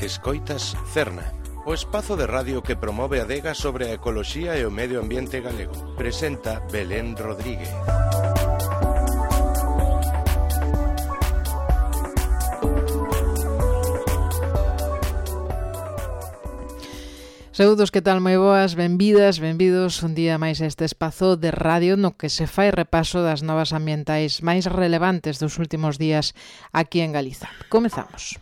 Escoitas Cerna, o espazo de radio que promove a adega sobre a ecoloxía e o medio ambiente galego. Presenta Belén Rodríguez. Saúdos, que tal? Moi boas, benvidas, benvidos un día máis a este espazo de radio no que se fai repaso das novas ambientais máis relevantes dos últimos días aquí en Galiza. Comezamos.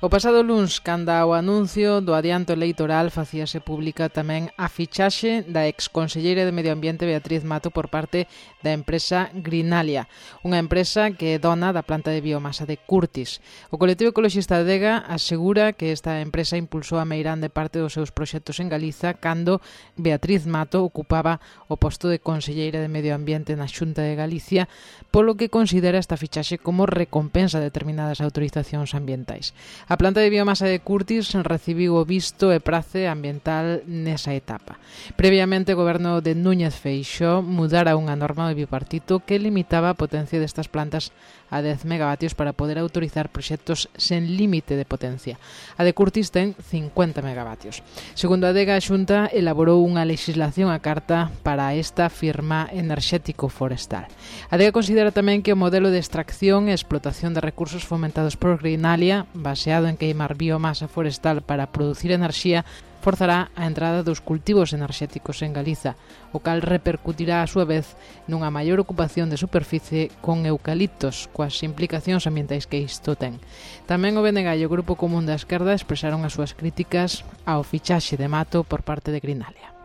O pasado luns, canda o anuncio do adianto electoral, facíase pública tamén a fichaxe da exconselleira de Medio Ambiente Beatriz Mato por parte da empresa Greenalia, unha empresa que é dona da planta de biomasa de Curtis. O colectivo ecoloxista Adega asegura que esta empresa impulsou a meirande parte dos seus proxectos en Galiza cando Beatriz Mato ocupaba o posto de conselleira de Medio Ambiente na Xunta de Galicia, polo que considera esta fichaxe como recompensa de determinadas autorizacións ambientais. A planta de biomasa de Curtis recibiu o visto e prace ambiental nesa etapa. Previamente, o goberno de Núñez Feixóo mudara unha norma do bipartito que limitaba a potencia destas plantas a 10 megavatios para poder autorizar proxectos sen límite de potencia. A de Curtis ten 50 megavatios. Segundo a Adega, a Xunta elaborou unha legislación a carta para esta firma enerxético forestal. A Adega considera tamén que o modelo de extracción e explotación de recursos fomentados por Greenalia, baseado en queimar biomasa forestal para producir enerxía, forzará a entrada dos cultivos enerxéticos en Galiza, o cal repercutirá a súa vez nunha maior ocupación de superficie con eucaliptos, coas implicacións ambientais que isto ten. Tamén o BNG e o Grupo Común da Esquerda expresaron as súas críticas ao fichaxe de Mato por parte de Greenalia.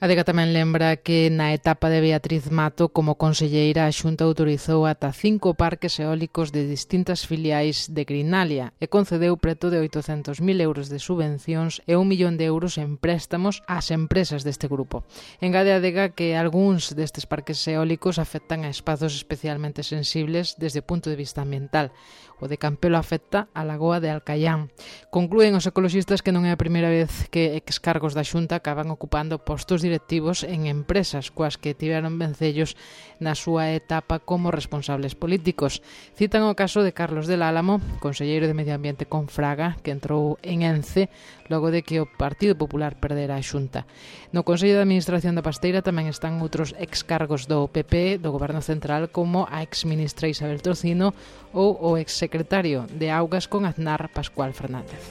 A Adega tamén lembra que na etapa de Beatriz Mato como conselleira a Xunta autorizou ata 5 parques eólicos de distintas filiais de Greenalia e concedeu preto de 800.000 euros de subvencións e 1 millón de euros en préstamos ás empresas deste grupo. Engade a Adega que algúns destes parques eólicos afectan a espazos especialmente sensibles desde o punto de vista ambiental. O de Campelo afecta a lagoa de Alcaián. Conclúen os ecoloxistas que non é a primeira vez que excargos da Xunta acaban ocupando postos directivos en empresas coas que tiveron vencellos na súa etapa como responsables políticos. Citan o caso de Carlos del Álamo, conselleiro de Medio Ambiente con Fraga, que entrou en Ence logo de que o Partido Popular perdera a Xunta. No Consello de Administración da Pasteira tamén están outros excargos do PP, do Goberno Central, como a exministra Isabel Tocino ou o exsecretario de Augas con Aznar, Pascual Fernández.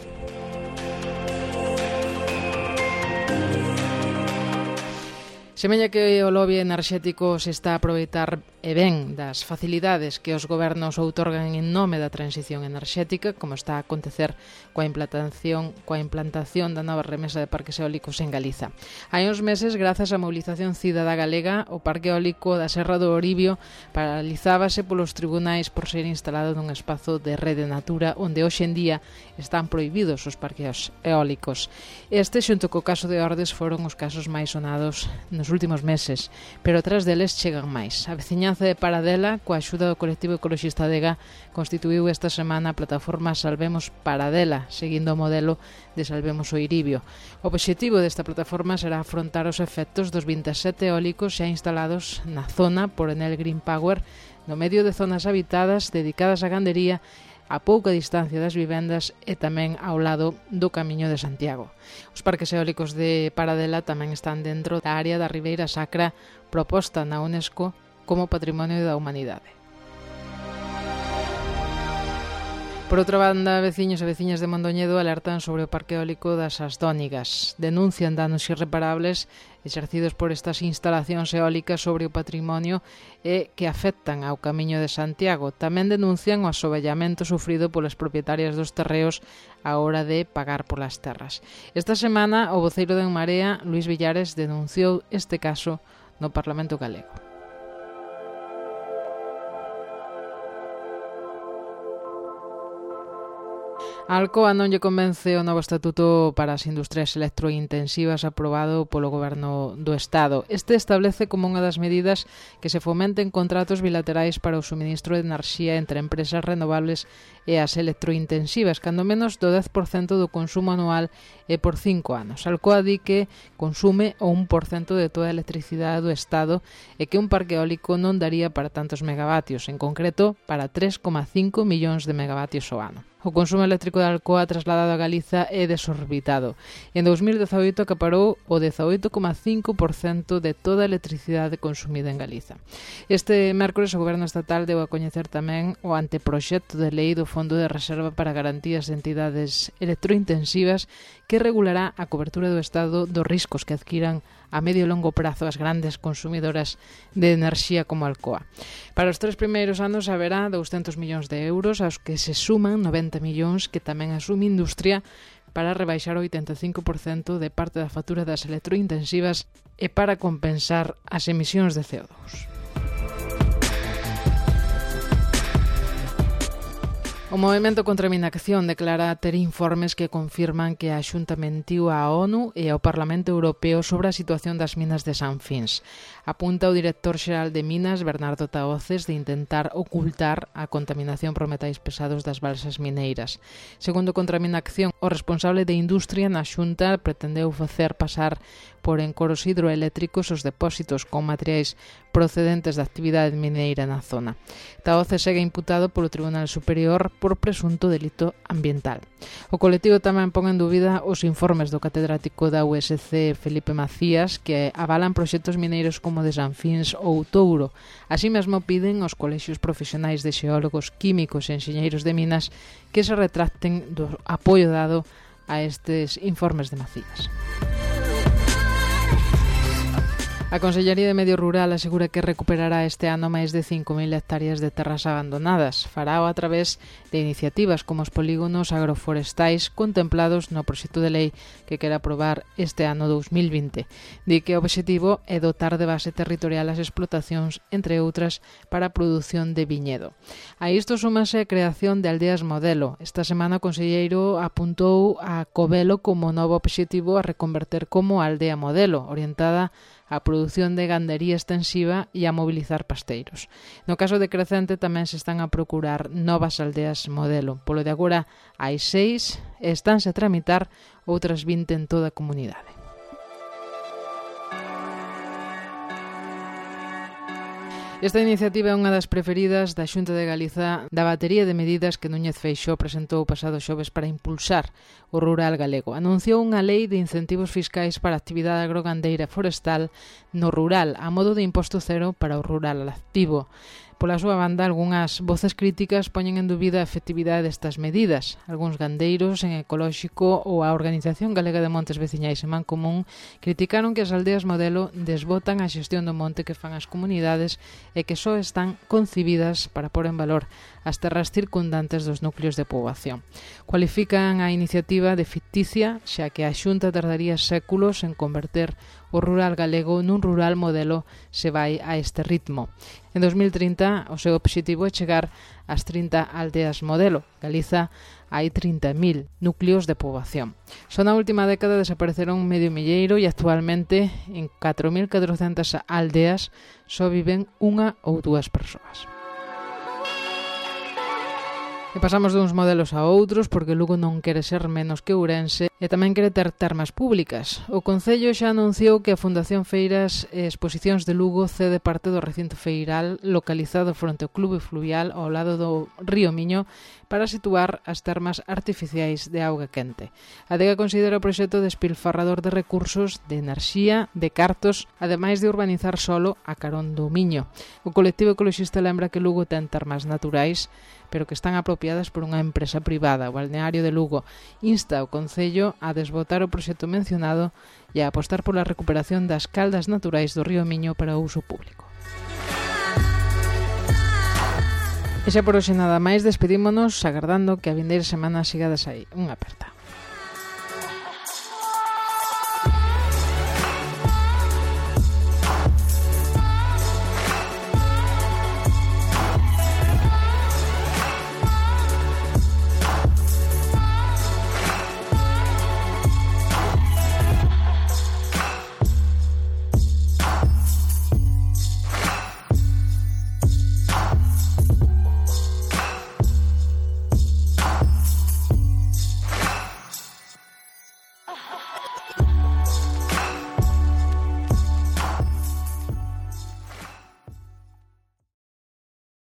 Semella que o lobby enerxético se está a aproveitar e ben das facilidades que os gobernos outorgan en nome da transición enerxética, como está a acontecer coa implantación da nova remesa de parques eólicos en Galiza. Hai uns meses, grazas á mobilización cidadá galega, o parque eólico da Serra do Oribio paralizábase polos tribunais por ser instalado nun espazo de rede natura onde hoxe en día están prohibidos os parques eólicos. Este, xunto co caso de Ordes, foron os casos máis sonados nos últimos meses, pero tras deles chegan máis. A veciñanza de Paradela, coa axuda do colectivo ecoloxista Adega, constituíu esta semana a plataforma Salvemos Paradela, seguindo o modelo de Salvemos o Iribio. O obxectivo desta plataforma será afrontar os efectos dos 27 eólicos xa instalados na zona por Enel Green Power, no medio de zonas habitadas dedicadas á gandería, a pouca distancia das vivendas e tamén ao lado do Camiño de Santiago. Os parques eólicos de Paradela tamén están dentro da área da Ribeira Sacra proposta na UNESCO como Patrimonio da Humanidade. Por outra banda, veciños e veciñas de Mondoñedo alertan sobre o parque eólico das Asdónigas. Denuncian danos irreparables exercidos por estas instalacións eólicas sobre o patrimonio e que afectan ao Camiño de Santiago. Tamén denuncian o asoballamento sufrido polas propietarias dos terreos á hora de pagar polas terras. Esta semana, o voceiro de En Marea, Luís Villares, denunciou este caso no Parlamento galego. A Alcoa non lle convence o novo estatuto para as industrias electrointensivas aprobado polo Goberno do Estado. Este establece como unha das medidas que se fomenten contratos bilaterais para o suministro de enerxía entre empresas renovables e as electrointensivas, cando menos do 10% do consumo anual e por 5 anos. Alcoa di que consume o 1% de toda a electricidade do Estado e que un parque eólico non daría para tantos megavatios, en concreto para 3,5 millóns de megavatios ao ano. O consumo eléctrico de Alcoa trasladado a Galiza é desorbitado. En 2018 acaparou o 18,5% de toda a electricidade consumida en Galiza. Este mércores o Goberno Estatal deu a coñecer tamén o anteproxecto de lei do Fondo de Reserva para Garantías de Entidades Electrointensivas que regulará a cobertura do Estado dos riscos que adquiran a medio e longo prazo as grandes consumidoras de enerxía como Alcoa. Para os 3 primeiros anos haberá 200 millóns de euros, aos que se suman 90 millóns que tamén asume industria para rebaixar o 85% de parte da factura das electrointensivas e para compensar as emisións de CO2. O Movemento contra a Minacción declara ter informes que confirman que a Xunta mentiu á ONU e ao Parlamento Europeo sobre a situación das minas de Sanfins. Apunta o director xeral de Minas, Bernardo Tahoces, de intentar ocultar a contaminación por metais pesados das balsas mineiras. Segundo Contra a Minacción, o responsable de Industria na Xunta pretendeu facer pasar por encoros hidroeléctricos os depósitos con materiais procedentes da actividade mineira na zona. Tahoces segue imputado polo Tribunal Superior por presunto delito ambiental. O colectivo tamén pon en dúbida os informes do catedrático da USC Felipe Macías que avalan proxectos mineiros como de Sanfins ou Touro. Así mesmo piden aos colexios profesionais de xeólogos, químicos e enxeñeiros de minas que se retracten do apoio dado a estes informes de Macías. A Consellería de Medio Rural asegura que recuperará este ano máis de 5.000 hectáreas de terras abandonadas. Farao a través de iniciativas como os polígonos agroforestais contemplados no proxecto de lei que quere aprobar este ano 2020. Di que o obxectivo é dotar de base territorial as explotacións, entre outras, para a produción de viñedo. A isto súmase a creación de aldeas modelo. Esta semana o conselleiro apuntou a Covelo como novo obxectivo a reconverter como aldea modelo, orientada a produción de gandería extensiva e a mobilizar pasteiros. No caso de Crecente tamén se están a procurar novas aldeas modelo. Polo de agora hai 6 e estánse a tramitar outras 20 en toda a comunidade. Esta iniciativa é unha das preferidas da Xunta de Galiza da batería de medidas que Núñez Feixóo presentou o pasado xoves para impulsar o rural galego. Anunciou unha lei de incentivos fiscais para a actividade agrogandeira e forestal no rural, a modo de imposto cero para o rural activo. Pola súa banda, algunhas voces críticas poñen en dúbida a efectividade destas medidas. Algúns gandeiros en ecolóxico ou a Organización Galega de Montes Veciñais en Mancomún criticaron que as aldeas modelo desbotan a xestión do monte que fan as comunidades e que só están concibidas para pôr en valor as terras circundantes dos núcleos de poboación. Cualifican a iniciativa de ficticia, xa que a Xunta tardaría séculos en converter o rural galego nun rural modelo se vai a este ritmo. En 2030, o seu obxectivo é chegar ás 30 aldeas modelo. Galiza hai 30.000 núcleos de poboación. Só na última década desapareceron medio milleiro e actualmente en 4.400 aldeas só viven unha ou dúas persoas. E pasamos duns modelos a outros porque Lugo non quere ser menos que Ourense e tamén quere ter termas públicas. O Concello xa anunciou que a Fundación Feiras e Exposicións de Lugo cede parte do recinto feiral localizado fronte ao Clube Fluvial ao lado do río Miño para situar as termas artificiais de auga quente. A Adega considera o proxecto despilfarrador de recursos, de enerxía, de cartos, ademais de urbanizar solo a carón do Miño. O colectivo ecoloxista lembra que Lugo ten termas naturais, pero que están apropiadas por unha empresa privada. O Balneario de Lugo insta ao Concello a desbotar o proxecto mencionado e a apostar pola recuperación das caldas naturais do río Miño para o uso público. E xa por hoxe nada máis, despedímonos agardando que a vindeira semana sigades aí. Unha aperta.